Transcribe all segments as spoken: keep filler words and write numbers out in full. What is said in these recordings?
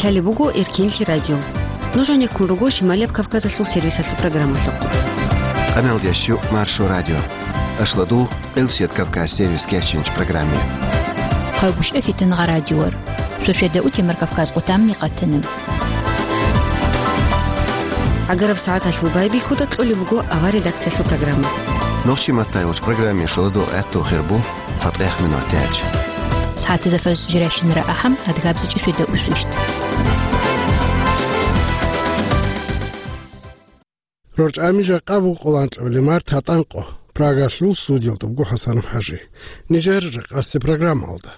Лъалеб буго Эркенлъи радио. Нуж гьанеккун руго Шималияб Кавказалъул сервисалъул программалъухъ. Къаналдящу Маршо радио. Ашладу Элсият Кавказ сервис кечинч программе. Хъайгуща фитнга радиор. Суседа утемар Кавказ къутамни къатана. Агараб сагӀаталъул байбихьуда кьолеб буго авар редакциялъул программа. Нохчи маттайвач программе шоладу гӀатту хирбу. ЦатӀехъ минутач. СагӀатазда фажр жирайщинара ахӀам, адгабзичӀи светда усвищ. РорчӀами жакъа буго къоланкьабилеб март гьатӀанкъо. Прагалъул студиялда буго ХӀасанов ХӀажи. Нижер жакъасеб программалда.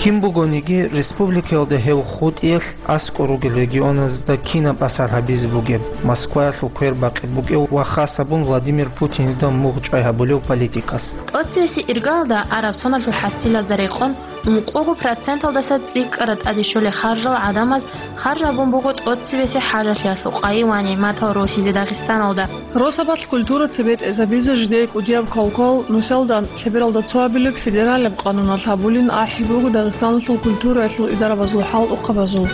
Кин бугониги, республикаялда гьев хутӀиялъ аскӀор ругел регионазда кинаб асар гьабизе бугеб, Москваялъул квер бакъи букӀев ва хас гьабун Владимир Путинида мугъ чӀвай гьабулев политикас. ТӀоцевесеб иргаялда араб соналъул хӀасилазда рекъон ункъого проценталдаса цӀикӀкӀараб тӀаде щолей харжал гӀадамаз харж гьабун буго тӀоцевесеб хӀажалъиялъул къайи ва нигӀматал росизе Дагъистаналда. Росабалъ культура цебетӀезабизе жидее кӀудияб квалквал нусалда лъебералда цо абилеб федералияб къануналъ гьабулин ахӀи буго Дагъистаналъул культураялъул идарабазул хӀалтӀухъабазул.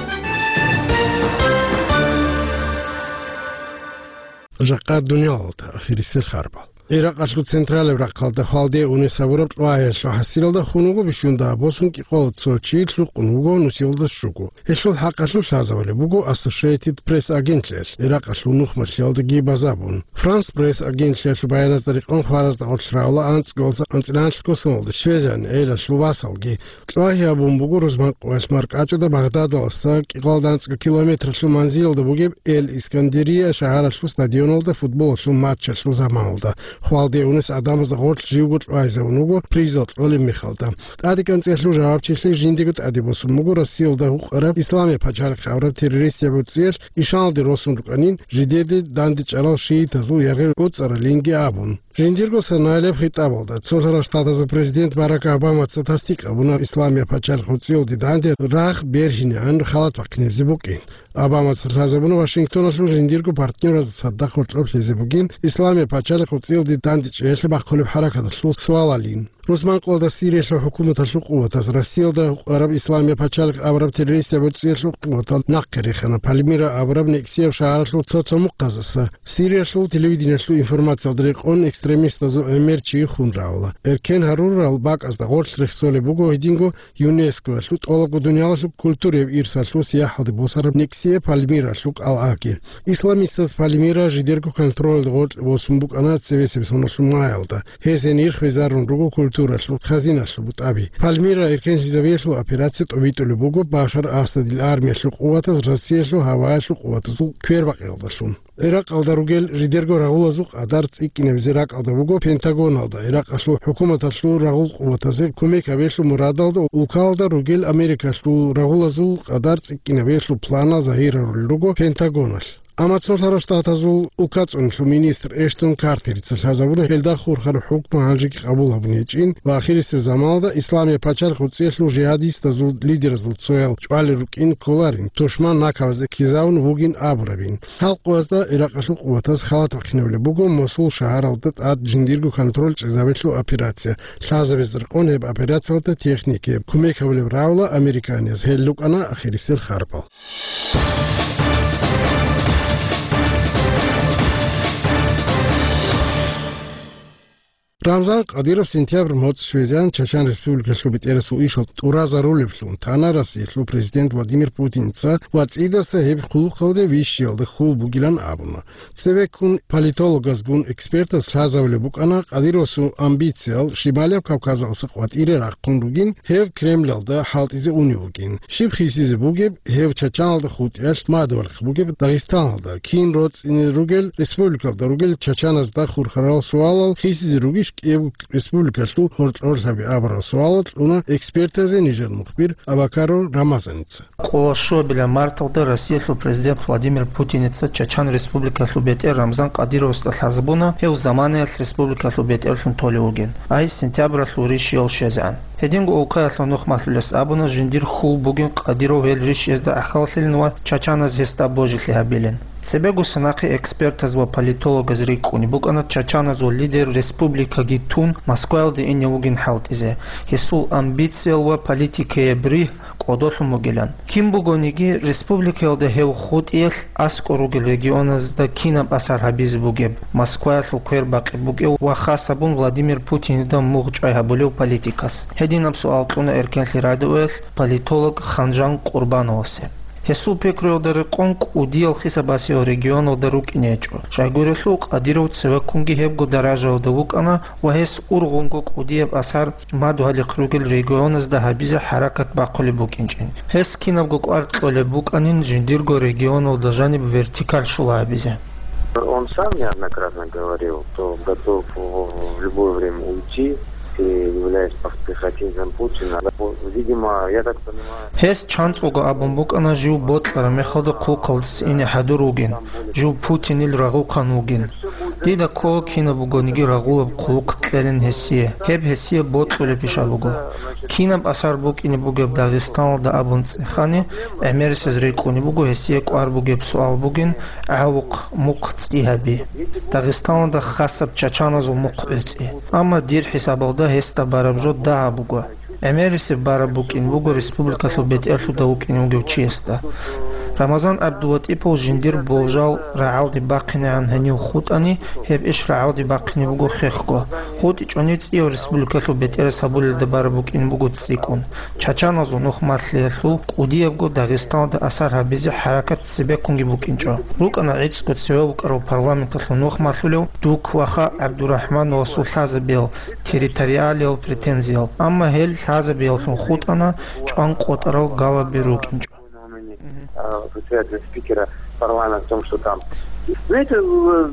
Жакъа дуниялалда ахирисел харбал. Иракъалъул централияб рахъалда хвалде унес гьабураб кьвагьиялъул хӀасилалда хун вуго бищунда босун кӀикъоялда цо чи, лъукъун вуго нусилалда щуго. Гьелъул хӀакъалъулъ лъазабулеб буго Associated Press агентлъиялъ Иракъалъул нухмалъиялдаги базабун. France Press агентлъиялъул баяназда рекъон хваразда гъорлъ равла анцӀгоялдаса анцӀила анлъго соналда щвезегӀан гӀелалъул васалги. Кьвагьи гьабун буго рузман къоялъ маркӀачӀуда Багъдадалдаса кӀикъоялда анцӀго километралъул манзилалда бугеб Эль-Искандерия шагьаралъул стадионалда футболалъул матчалъул заманалда. Хвалде унес гӀадамазда гъорлъ живго кьвагьизабун вуго призал кьолеб мехалда. ТӀаде кӀанцӀиялъул жавабчилъи жиндиего тӀаде босун буго Россиялда гьукъараб Исламияб пачалихъ абураб террористияб гӀуцӀиялъ ишаналде росун рукӀанин, жидеде дандечӀарал шиитазул яргъи гӀуцӀаралинги абун. Жиндирго санаялъ хитӀабалда, Цолъаралъ Штатазул президент Барак Обамаца тасдикъ гьабуна Исламияб пачалихъ гӀуцӀиялде данде рагъ бергьинегӀан халат бахъинебзе букӀин. Обамаца лъазабуна Вашингтоналъул жиндирго партнёразда цадахъ гьоркьоб лъезе бугин Исламияб пачалихъ гӀуцӀиялде дандечӀеялъе бахъулеб хӀаракаталъул суалалин. Рузман къоялда Сириялъул хӀукуматалъул къуватаз Россиялда гьукъараб Исламияб пачалихъ абураб террористияб гӀуцӀиялъул къуватал нахъе рехана Пальмира абураб некӀсияб шагьаралъул цо-цо мухъаздаса. Сириялъул телевидениялъул информациялда рекъон экстремистазул гӀемер чи хун равла. Эркен гьарурал бакӀазда гъорлъ рехсолеб буго гьединго ЮНЕСКОялъул тӀолабго дуниялалъул культураяб ирсалъул сияхӀалде босараб некӀсияб Пальмиралъул кӀалгӀаги. Исламистаз Пальмира жидерго контролалда гъоркье босун букӀана цебесеб соналъул маялда. Гьез гьенир хвезарун руго культуралъул хазиналъул бутӀаби. Пальмира эркенлъизабиялъул операция тӀобитӀулеб буго Башар Асадил армиялъул къуватаз Россиялъул гьаваялъул къуватазул квербакъиялдалъун. Иракъалда ругел жидерго рагъулазул къадар цӀикӀкӀинабизе ракӀалда буго Пентагоналда, Иракъалъул хӀукуматалъул рагъул къуватазе кумек гьабиялъул мурадалда улкалда ругел Америкалъул рагъулазул къадар цӀикӀкӀинабиялъул планал загьирарулел руго Пентагоналъ. Амма Цолъаралъ Штатазул улкацӀуналъул министр Эштон Картерица лъазабуна гьелда хурхараб хӀукму гьанжеги къабул гьабун гьечӀин ва ахирисеб заманалда Исламияб пачалихъ гӀуцӀиялъул жигьадистазул лидеразул цоял чӀвалел рукӀин кколарин, тушман накабазде ккезавун вугин абурабин. Гьал къоязда Иракъалъул къуватаз халат бахъинабулеб буго Мосул шагьаралда тӀад жиндирго контроль чӀезабиялъул операция. Лъазабизе рекъон гьеб операциялда техникаяб кумек гьабулеб равла американияз. Гьел рукӀана ахирисел харпал. Рамзан Кадиров сентябрь моцӀ щвезегӀан Чачан Республикалъул бетӀерасул ишал тӀуразарулеблъун, тана Россиялъул президент Владимир Путинца ва цӀидаса гьеб хъулухъалде вищиялда хьул бугилан абуна. Цевеккун политологазгун экспертаз лъазабулеб букӀана Кадировасул амбициял Шималияб Кавказалдаса къватӀире рахъун ругин, гьев Кремлалда хӀалтӀизе унев вугин. Щиб хисизе бугеб гьев Чачаналда хутӀиялъ мадугьалихъ бугеб Дагъистаналда, кин роцӀцӀине ругел республикалда ругел чачаназда хурхарал суалал хисизе ругищ кӀиябго республикалъул гьоркьорлъаби абурал суалал кьуна экспертазе нижер мухбир Абакаров Рамазаница. Къоло щуабилеб марталда Россиялъул президент Владимир Путиница Чачан Республикалъул бетӀер Рамзан Кадировасда лъазабуна, гьев заманаялъ республикалъул бетӀерлъун толев вугин, ай сентябралъул рищиялъ щвезегӀан. Гьединго улкаялъул нухмалъулес абуна, жиндир хьул бугин Кадиров гьел рищиязда гӀахьаллъилин ва чачаназ гьесда божилъи гьабилин. Цебегоса нахъе экспертаз ва политологаз рикӀкӀунеб букӀана чачаназул лидер республикаги тун Москваялде ине вугин хӀалтӀизе, гьесул амбициял ва политикияб ригь кӀодолъун бугилан. Кин бугониги, республикаялда гьев хутӀиялъ аскӀор ругел регионазда кинаб асар гьабизе бугеб, Москваялъул квер бакъи букӀев ва хас гьабун Владимир Путинида мугъ чӀвай гьабулев политикас? Гьединаб суал кьуна Эркенлъи радиоялъ политолог Ханжан Къурбановасе. Гьесул пикруялда рекъон кӀудиял хисабасев регионалда рукӀине гьечӀо. Щайгурелъул Къадиров цевеккунги гьебго даражаялда вукӀана ва гьес ургъунго кӀудияб асар мадугьалихъ ругел регионазда гьабизе хӀаракат бахъулеб букӀинчӀин. Гьес кинабго кӀвар кьолеб букӀанин жиндирго регионалда жаниб вертикаль щула гьабизе. Он сам неоднократно говорил, что готов в любое время уйти, и являясь похотинцем Путина. Видимо, я так понимаю. Гьес чанцӀого абун букӀана жив бокьараб мехалда хъулухъалдаса ине хӀадур вугин, жив Путинил рагъухъан вугин. Дида ккола кинаб бугониги рагъулаб хъулухъ кьелин гьесие. Гьеб гьесие бокьулеб пиша буго. Кинаб асар букӀине бугеб Дагъистаналда абун цӀехани, гӀемерисез рикӀкӀунеб буго гьесие кӀвар бугеб суал бугин, гӀавухъ мухъ цӀи гьаби. Дагъистаналда хасаб чачаназул мухъ гӀуцӀи. Амма дир хӀисабалда гьесда бараб жо дагьаб буго. ГӀемерисеб бараб букӀин буго республикалъул бетӀерлъуда вукӀине вугев чиясда. Рамазан ГӀабдулатӀипов жиндир болжал рагӀалде бахъинегӀан гьенив хутӀани, гьеб иш рагӀалде бахъине буго хехго. ХутӀичӀони цӀияв республикалъул бетӀерас гьабулелда бараб букӀин буго цӀикӀкӀун. Чачаназул нухмалъиялъул кӀудиябго Дагъистаналда асар гьабизе хӀаракат цебеккунги букӀинчӀо. РукӀана гӀицӀго цеве вукӀарав парламенталъул нухмалъулев Дукваха ГӀабдурахӀмановасул лъазабиял, территориалиял претензиял, амма гьел лъазабияллъун хутӀана чӀван къотӀарал галаби рукӀинчӀо. А, председателя, спикера парламента в том, что там. Знаете,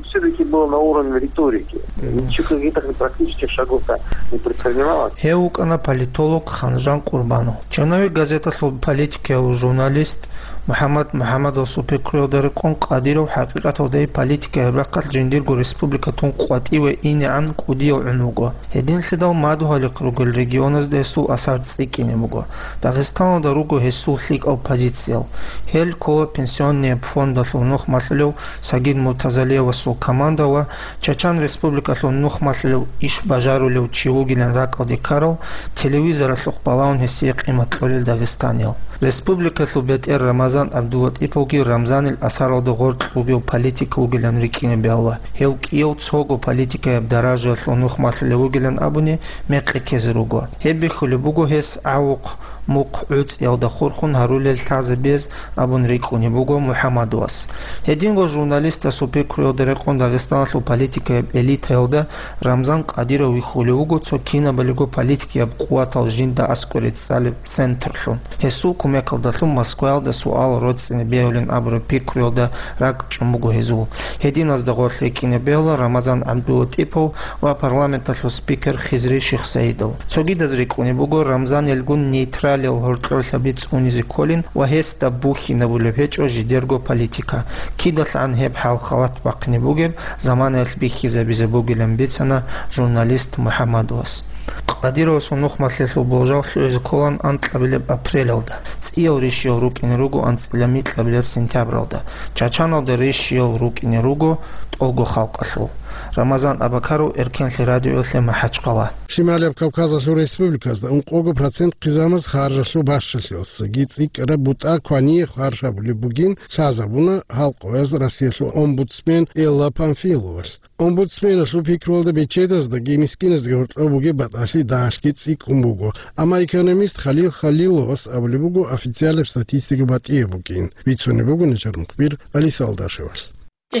все-таки было на уровне риторики. Ничего, каких-то практических шагов-то не предпринималось. Гьев вукӀана политолог Ханжан Къурбанов. Черновик газеталъул политикияв журналист МухӀаммад МухӀаммадовасул пикруялда рекъон Къадиров хӀакъикъаталда политика гьеб рахъалъ жиндирго республика тун къватӀиве инегӀан кӀудияв гӀун вуго. Гьединлъидал мадугьалихъ ругел регионазда гьесул асар цӀикӀкӀине буго. Дагъистаналда руго гьесул лъикӀал позициял. Гьел ккола пенсионный фондалъул нухмалъулев Сагид Муртазалиевасул команда ва Чачан Республикалъул нухмалъулев иш бажарулев чи вугилан ракӀалде ккарал, телевизоралъухъ балагьун гьесие къимат кьолел дагъистаниял. Республикалъул бетӀер Рамазан ГӀабдулатӀиповги Рамзанил асаралда гъоркь вугев политик вугилан рикӀкӀине бегьула. Гьев кӀияв цого политикаяб даражаялъул нухмалъулев вугилан абуни мекъи ккезе руго. Гьеб бихьулеб буго гьес гӀавухъ мухъ гӀуцӀиялда хурхун гьарулел лъазабиз абун рикӀкӀунеб буго МухӀаммадовас. Гьединго журналистасул пикруялда рекъон Дагъистаналъул политикаяб элитаялда Рамзан Къадиров вихьулев вуго цо кинабалиго политикияб къуватал жинда аскӀоре цӀалеб центрлъун. Гьесул кумекалдалъун Москваялда суал роцӀцӀине бегьулин абураб пикруялда ракӀчӀун буго гьезул. Гьединазда гъорлъ рикӀкӀине бегьула Рамазан ГӀабдулатӀипов ва парламенталъул спикер Хизри Шихсаидов. Цогидаз рикӀкӀунеб буго Рамзанилгун нейтралиял гьоркьорлъаби цӀунизе кколин ва гьесда бухьинабулеб гьечӀо жидерго политика. КидалъгӀан гьеб хӀал-халат бахъине бугеб заманаялъ бихьизабизе бугилан бицана журналист МухӀаммадовас. Къадировасул нухмалъиялъул болжал лъугӀизе кколан анкьабилеб апрелалда. ЦӀиял рищиял рукӀине руго анцӀила микьабилеб сентябралда. Чачаналда рищиял рукӀине руго тӀолго халкъалъул. Рамазан Абакаров, Эркенлъи радиоялъе МахӀачхъала. Шималияб Кавказалъул республиказда ункъого процент хъизамаз харжалъул бащалъиялсаги цӀикӀкӀараб бутӀа квание харж гьабулеб бугин лъазабуна гьалкъояз Россиялъул омбудсмен Элла Памфиловалъ. Омбудсменалъул пикруялда бечедаздаги мискиназдаги гьоркьоб бугеб батӀалъи дагьалъги цӀикӀкӀун буго, амма экономист Халил Халиловас абулеб буго официальнаб статистика батӀияб букӀин, бицунеб буго нижер мухбир Алиса Алдашевалъ.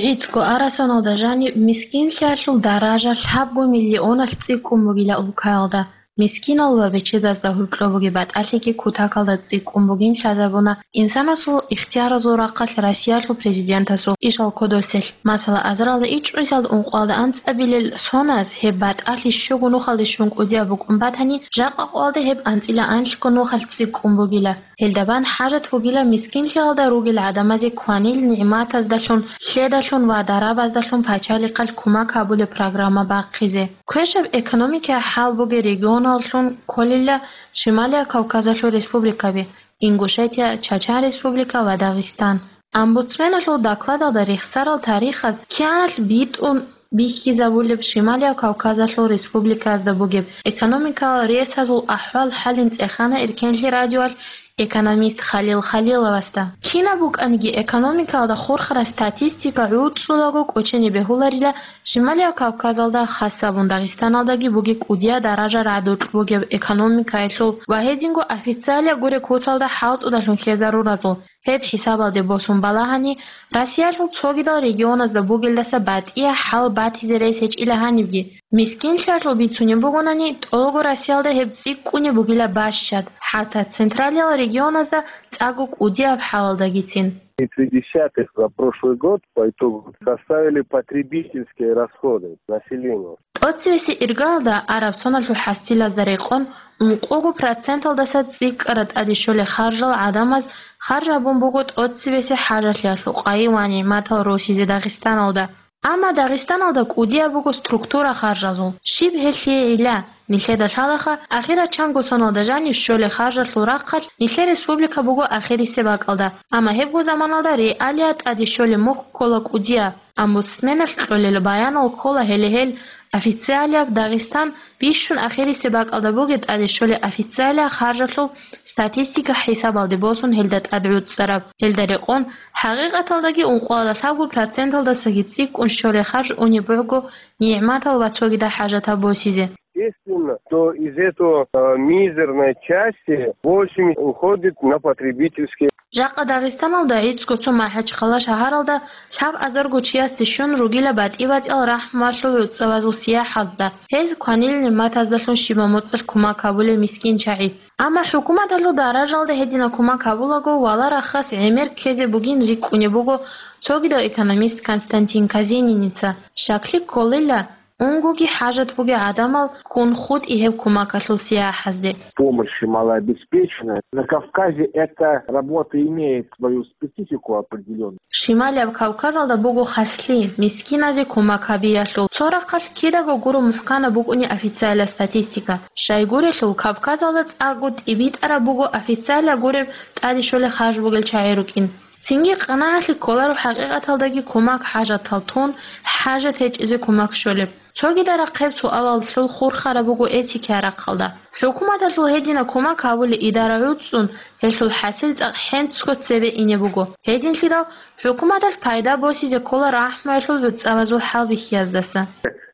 ГӀицӀго арасаналда жаниб мискинлъиялъул даража лъабго миллионалъ цӀикӀкӀун бугила улкаялда. Мискинал ва бечедазда гьоркьоб бугеб батӀалъиги кутакалда цӀикӀкӀун бугин лъазабуна. Инсанасул ихтияразул рахъалъ Россиялъул президентасул ишал кодоселъ, масала, азаралда ичӀоялда ункъоялда анцӀабилел соназ гьеб батӀалъи щуго нухалде щун кӀудияб букӀун батани, жакъа къоялда гьеб анцӀила анлъго нухалъ цӀикӀкӀун бугила. Гьелда бан хӀажат бугила мискинлъиялда ругел гӀадамазе кванил нигӀматаздалъун, лъедалъун ва дарабаздалъун пачалихъалъ кумак гьабулеб программа бахъизе. Квешаб экономикияй хӀал бугел регионаллъун кколила Шималия Кавказалъул республикаби, Ингушетия, Чачан Республика ва Дагъистан. Омбудсменалъул докладалда рехсарал тарихаз кианалъ битӀун бихьизабулеб Шималияб Кавказалъул республикаязда бугеб экономикалал ресазул ахӀвал-хӀалин цӀехана Эркенлъи радиоялъ экономист Халил Халиловасда. Кинаб букӀаниги экономикалда хурхараб статистика гӀуцӀулаго кӀочене бегьуларила Шималияб Кавказалда, хасабун Дагъистаналдаги бугеб кӀудияб даража радукь бугеб экономикаялъул ва гьединго официалияб гуреб куцалда хӀалтӀудалъун хьезаруразул. Гьеб хӀисабалде босун балагьани, Россиялъул цогидал регионазда бугелдаса батӀияб хӀал батизе рес гьечӀила гьанибги. Мискинлъиялъул бицунеб бугонани, тӀолго Россиялда гьеб цӀикӀкӀунеб бугила бащад, хӀатта централиял регионазда цӀакъго кӀудияб хӀалалдагицин. Три десятых за прошлый год по итогу составили потребительские расходы населения. ТӀоцевесеб иргаялда араб соналъул хӀасилазда рекъон, ункъого проценталдаса цӀикӀкӀараб тӀаде щолеб харжал гӀадамаз харж гьабун буго тӀоцевесеб хӀажалъиялъул къайи ва нигӀматал росизе Дагъистаналда. Амма Дагъистаналда кӀудияб буго структура харжазул. Щиб гьелъие гӀилла? Нилъеда лъалаха, ахирачанго соналда жанив щолеб харжалъул рахъалъ нилъер республика буго ахирисеб бакӀалда, амма гьебго заманалда реалияб тӀаде щолеб мухь ккола кӀудияб. Омбудсменалъ кьолел баянал ккола гьеле гьел официалияб, Дагъистан бищун ахирисеб бакӀалда бугеб тӀаде щолеб официалияб харжалъул статистика хӀисабалде босун гьелда тӀад гӀуцӀцӀараб. Гьелда рекъон, хӀакъикъаталдаги ункъоялда лъабго проценталдасаги цӀикӀкӀун щолеб харж унеб буго нигӀматал ва цогидал хӀажатал босизе. Естественно, что из этого, э, мизерной части восемьдесят уходит на потребительские. Жакъа Дагъистаналда гӀицӀго цо МахӀачхъала шагьаралда лъабазарго чиясде щун ругила батӀи-батӀиял рахӀмуялъул гӀуцӀавазул сияхӀазда, гьез кванил нигӀматаздалъун щибаб моцӀалъ кумак гьабулел мискин чагӀи. Амма хӀукуматалъул даражалда гьединаб кумак гьабулаго, вала рахас гӀемер ккезе бугин рикӀкӀунеб буго цогидав экономист Константин Казениница. Щаклъи кколила, унгоги хӀажат бугел гӀадамал ккун хутӀи гьеб кумакалъул сияхӀазде. Помощи малообеспеченным. На Кавказе эта работа имеет свою специфику определённую. Шималияб Кавказалда буго хаслъи, мискиназе кумак гьабиялъул. Цо рахъалъ кидаго гуро мухӀканаб букӀуни официалияб статистика. Щайгурелъул, Кавказалда цӀакъго тӀибитӀараб буго официалияб гуреб тӀаде щолеб харж бугел чагӀи рукӀин. Цинги къанагӀалъи кколаро хӀакъикъаталдаги кумак хӀажатал тун, хӀажат гьечӀезе кумак щолеб. Цогидал рахъ гьеб суалалъул хурхараб буго этикиял рахъалда. ХӀукуматалъул гьединаб кумак гьабулеб идара гӀуцӀцӀун, гьелъул хӀасил цӀакъ хӀинцго цебе ине буго. Гьединлъидал хӀукуматалъ пайда босизе ккола рахӀмуялъул гӀуцӀавазул хӀалбихьияздаса.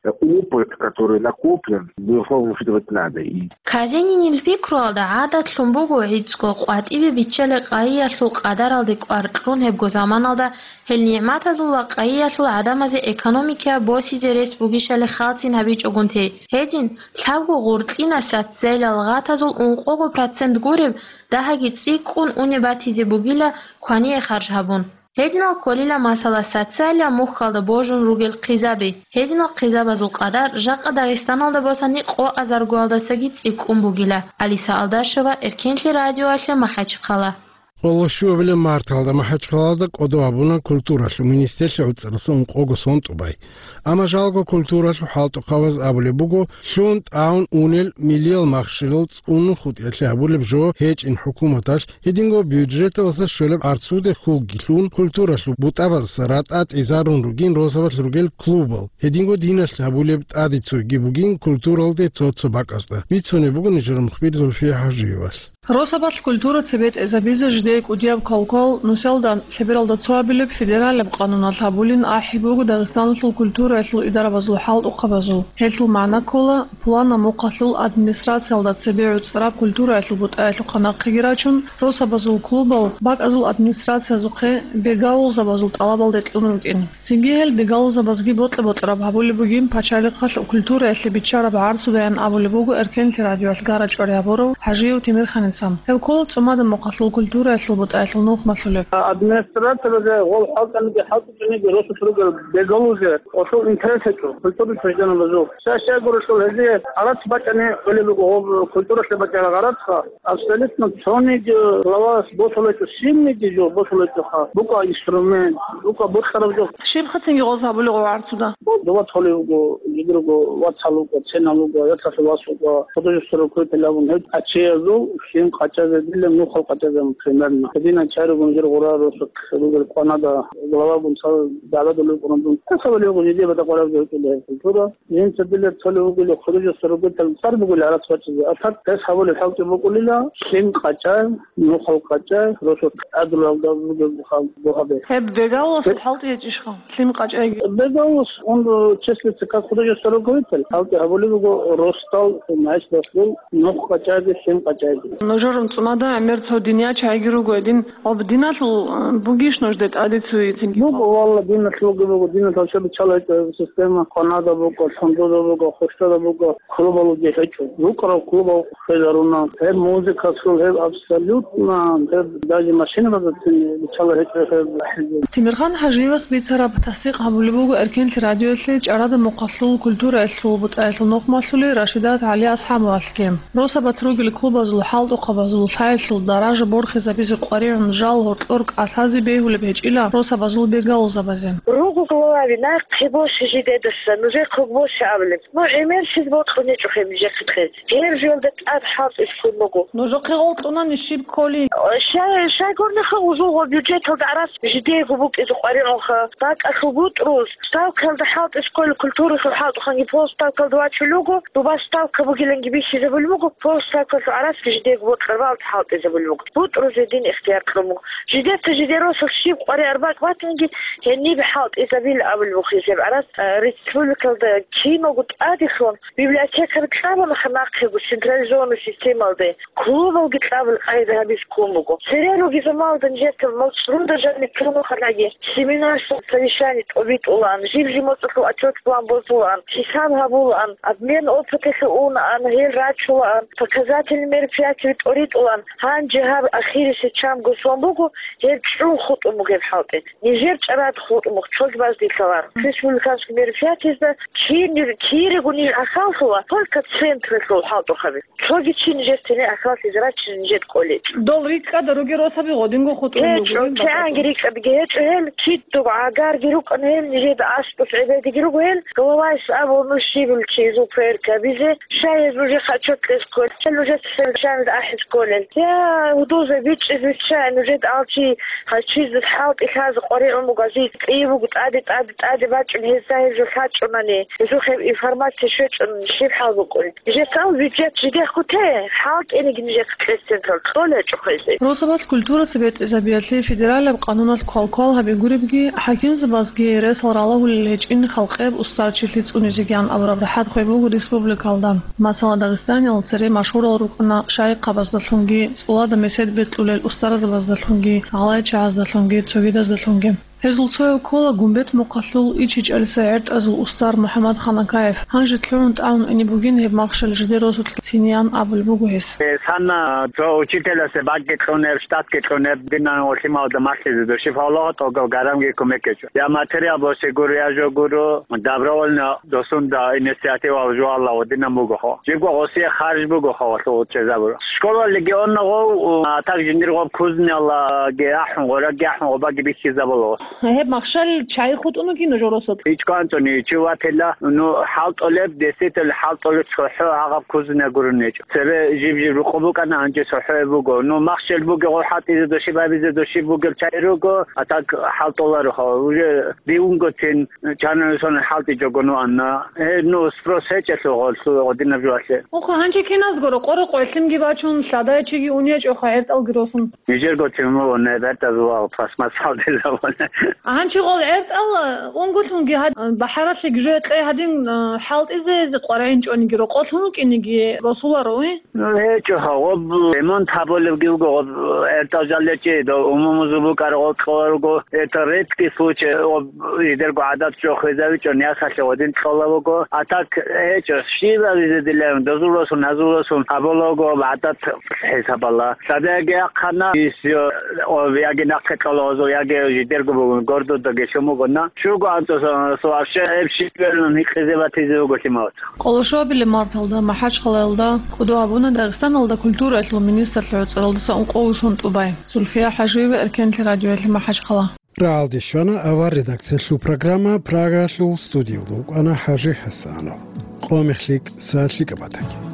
Опыт, который накоплен, безусловно, учитывать надо. И Казенинил пикруялда гӀадатлъун буго гӀицӀго къватӀибе биччалел къайиялъул къадаралде кӀвар кьун гьебго заманалда гьел нигӀматазул ва къайиялъул гӀадамазе экономика босизе рес бугищали хӀалтӀин гьабичӀогун тей. Гьедин, лъабго гъуркьинас социалияб гъатазул ункъого процент гуреб дагьаги цӀикӀкӀун унеб батизе бугила квание харж гьабун. Гьединал кколила, масала, социалияб мухьалда божун ругел хъизаби. Гьединал хъизабазул къадар жакъа Дагъистаналда босани къо азаргоялдасаги цӀикӀкӀун бугила. Алиса Алдашева, Эркенлъи радиоялъе, МахӀачхъала. Къоло щуабилеб марталда МахӀачхъалада кӀодо гьабуна культуралъул министрлъи гӀуцӀараса ункъого сон тӀубай. Амма жалго культуралъул хӀалтӀухъабаз абулеб буго, лъун тӀагӀун унел милиял махщелал цӀунун хутӀиялъе гьабулеб жо гьечӀин хӀукуматалъ, гьединго бюджеталдаса щолеб гӀарцуде хьулги лъун, культуралъул бутӀабаздаса ратӀа тӀизарун ругин росабалъ ругел клубал, гьединго диналъ гьабулеб тӀаде цойги бугин культуралде цо-цо бакӀазда. Бицунеб буго нижер мухбир Зульфия ХӀажиевалъ. Росабалъ культура цебетӀезабизе жидее кӀудияб квалквал нусалда лъебералда цо абилеб федералияб къануналъ гьабулин ахӀи буго Дагъистаналъул культураялъул идарабазул хӀалтӀухъабазул. Гьелъул магӀна ккола, пуланаб мухъалъул администрациялда цебе гӀуцӀараб культураялъул бутӀаялъухъа нахъеги рачун, росабазул клубал бакӀазул администрациязухъе бегалъулзабазул тӀалабалде кьун рукӀин. Цинги гьел бегалъулзабазги бокьа-бокьараб гьабулеб бугин пачалихъалъ культураялъе биччараб гӀарцудаян абулеб буго Эркенлъи радиоялъ гара-чӀвари гьабурав ХӀажиев Темирханица. Гьев ккола цӀумадаб мухъалъул культураялъул бутӀаялъул нухмалъулеб. Администрациялъе гъол хӀалтӀаниги хӀалтӀичӀониги росулъ ругел бегалъулзе гъолъул интерес гьечӀо культурный учреждениябазул. Щай-щай гурелъул гьезие гӀарац бачӀани гӀолеб буго гъоб культуралъе бачӀараб гӀарацха. Абсолютно цониги главас босулечӀо, синниги жо босулечӀоха. БукӀа инструмент, букӀа бокьараб жо. Щиб хъатинги гъоз гьабулеб гъо гӀарцуда? Доба толеб буго, жидерго вацал вукӀа, ценал вукӀа, яцалъул вас вукӀа, художественный руководитель абун гьеб ачеязул Гьин къачазе дилан нухал къачазе примерно. Гьединан чаригун жир гъура росулъ ругел къванада главагун цал дагӀбадулел къурандун. Гьесабали гъужидиябада къвараб жойкӀуле культура. Жинца дилер цалев вугеле художество ругетал цӀар бугел гьарас бачӀизе. А так гьес гьабулеб хӀалтӀи букӀулила, лъим къача, нухал къача, росулъ гӀадрулалда бугеб бугьабе. Гьеб бегаласул хӀалтӀи гьечӀищха? Лъим къачӀайги. Бегалас, он числится как художество руководитель. ХӀалтӀи гьабулеб буго росдал, значит, росдал нух къачӀайги, лъим къачӀайги. Нужер цӀунада гӀемер цо динияч гьайги руго гьедин. Об диналъул, э, бугищ нужде тӀаде цуе цинги? Буго, валла, диналъул буго, диналъул чӀа биччала гьечӀо система, къванада буго, лъундуда буго, хущада буго, клубалуги гьечӀо. РукӀарал клубал хвезаруна. Гьеб музыкасул, гьеб абсолютно, гьеб даже машинабазацин биччала гьечӀо гьеб. Тимирхан ХӀажиевас бицараб тасдикъ гьабулеб буго Эркенлъи радиоялъе чӀарада мухъалъул культураялъул бутӀаялъул нухмалъули Рашидат ГӀали АсхӀабовалъги. Росабат ругел клубазул хӀалтӀухъабазул лъаялъул даража борхизабизе къваригӀун жал гьоркьор кӀалъазе бегьулеб гьечӀила росабазул бегалузабазе. Руго главаби, нахъе босе жидедаса, нужехъе босе абулеб. Ну, гӀемер щиб бокьун гьечӀо гьеб нижехъе кьезе. Гьеб жоялда тӀад хӀалтӀи лъун буго. Нужехъе гъолтӀунани щиб кколи? Щай, щайгурнихъа узулго бюджеталда гӀарас жидеего букӀизе къваригӀунха. БакӀалъул бутӀрул ставкалда хӀалтӀи кколи культуралъул хӀалтӀухъанги полставкалда вачулел руго, дуба ставка бугиланги бихьизабулеб буго, полставкалъул гӀарасги жидеего бокьараб хӀалтӀизабулеб буго. БутӀрузе дин ихтияр кьун буго. Жидеца жидер росулъ щиб къваригӀараб бакӀ батанги, гьениб хӀалтӀизабила абулеб буго гьезие гӀарас, э, республикалда киналго тӀадехун библиотекаби кьабунаха нахъего централизованный системалде, клубалги кьабул къайда гьабиз ккун буго. Цере ругезамалда нижеца малцӀрун дажани цунухъалаги семинар, совещание тӀобитӀулаан, жиб-жиб моцӀалъул отчет-план босулаан, хӀисаб гьабулаан, обмен опыталъе унаан, гьел рачулаан, показательный мероприятие тӀоритӀулаан. Гьанже гьаб ахирисеб чамго сон буго, гьеб чӀун хутӀун буго гьеб хӀалтӀи. Нижер чӀарад хутӀун буго, цоги баздилъалаан. Республиканский мероприятиезда кин-, кирего ниж ахаллъула, только централъул хӀалтӀухъаби. Цоги чи нижер тене ахаллъизе рачина нижер кӀолечӀо. Дол рикӀкӀада ругел росаби гъодинго хутӀун буго. ГьечӀо, кигӀанги рикӀкӀадги гьечӀо гьел, кидго гӀагарги рукӀана гьел, нижеда аскӀов гӀебедиги руго гьел, главайс абуна щибил чи изул проверка гьабизе, щай гьез нужехъе отчет кьезе кколел, нужеца совещаниеда ахӀизе кколел. Я, гьудулзаб бичӀчӀизе биччай, нужеда алчи гьачизе хӀалтӀи лъазе къваригӀун буго, ази кьи буго тӀаде, тӀаде, тӀаде бачӀун гьезда гьеб жо лъачӀунани. Гьезухъе информация щвечӀун щиб хӀал букӀуни? Нижецал бюджет жидехъ гуте, хӀалтӀениги нижехъе кьезе централ кьолечӀо хъезе. Росабалъ культураца бетӀерзабиялъе федералаб къануналъ квалквал гьаби гуребги, хӀакимзабазги ресал ралагьулел гьечӀин халкъеб устарчилъи цӀунизегиян абураб рахӀат хвей буго республикалда. Масала, Дагъистаниял цере машгьурал рукӀана шайихъабаздалъунги, цӀулада месед бекьулел устарзабаздалъунги, гӀалайчагӀаздалъунги, цогидаздалъунги. Гьезул цояв ккола Гумбет мухъалъул ИчичӀалиса гӀертӀазул устар МухӀаммад Ханакаев. Гьанже лъугӀун тӀагӀун ине бугин гьеб махщел жидер росулъ циниян абулеб буго гьес. Э, санна цо учителасе бакӀги кьунеб, штатги кьунеб, динан гъолъималда малъизе души фалогъа тӀогал гарамги кумекечӀо. Я материал босе гуро, я жо гуро, добровольно досунда инициативал жугьалла гъодинан бугохо. Жибго гъосие харж бугохо гъолъул чӀезабуро. Школа легионна гъов, а так жиндир гъоб кузнияллаги ахӀун, гъораги ахӀун, гъобаги бихьизабула. Гьеб махщел чай хутӀун вугин жо росулъ? ИчкӀванцӀуни чи ватила, ну, хӀалтӀулеб, действительно, хӀалтӀулеб цохӀо гьагъаб кузне гурун гьечӀо. Цебе жиб-жиб рукъу букӀана, гьанже цохӀое буго. Ну, махщел бугеб гъо хӀалтӀизе души, бабизе души бугел чай руго, а так хӀалтӀуларо хала. Уже дивунгоцин чанани сон хӀалтӀичӀого нуанна. Э, ну, спрос гьечӀелъул гъолъул гъодинаб жуалъе. Ухъа, гьанже киназгуро къорокъо гӀелъимги бачун, лъадайчиги унечӀоха гӀертӀалги росун. Нижерго тему не бертазула пластмассалдезабуна. Гьанчи гъол гӀертӀал унгулъунги гьад-, бахӀаралъе гижое кьей гьадин, а, хӀалтӀизе къварагӀинчӀониги рокъолъун вукӀиниги росуларо, уй? Ну, гьечӀо гьагъоб ремонт гьабулебги вуго, гъоб гӀертӀал жалечӀи, до умумузул букӀараб гъоб кьола руго, это редкий случай, гъоб жидерго гӀадат жо хвезавичӀо, нясалъе гъодин кьола вуго. А так гьечӀо, щибабизе дилаун, дозуласун, гьазуласун гьабула вуго гъоб гӀадат хӀисабала. Садаги ахъана, ис, о, о, яги нахъе кьола гъозул, яги жидерго бугун, гордодаги лъумугуна. Чуго анцӀосан, вообще, гьеб щиб берун гьикъизе батизе вуго лъималаца. Къолошобилеб марталда МахӀачхъалаялда кӀодо гьабуна Дагъистаналда культураялъул министрлъи гӀуцӀаралдаса ункъоги сон тӀубай. Зульфия ХӀажиева, Эркенлъи радиоялъе, МахӀачхъала. Рагьалде щвана авар редакциялъул программа, Прагаялъул студиялда вукӀана ХӀажи ХӀасанов. Къо мехлъи, са лъикӀаб батаги.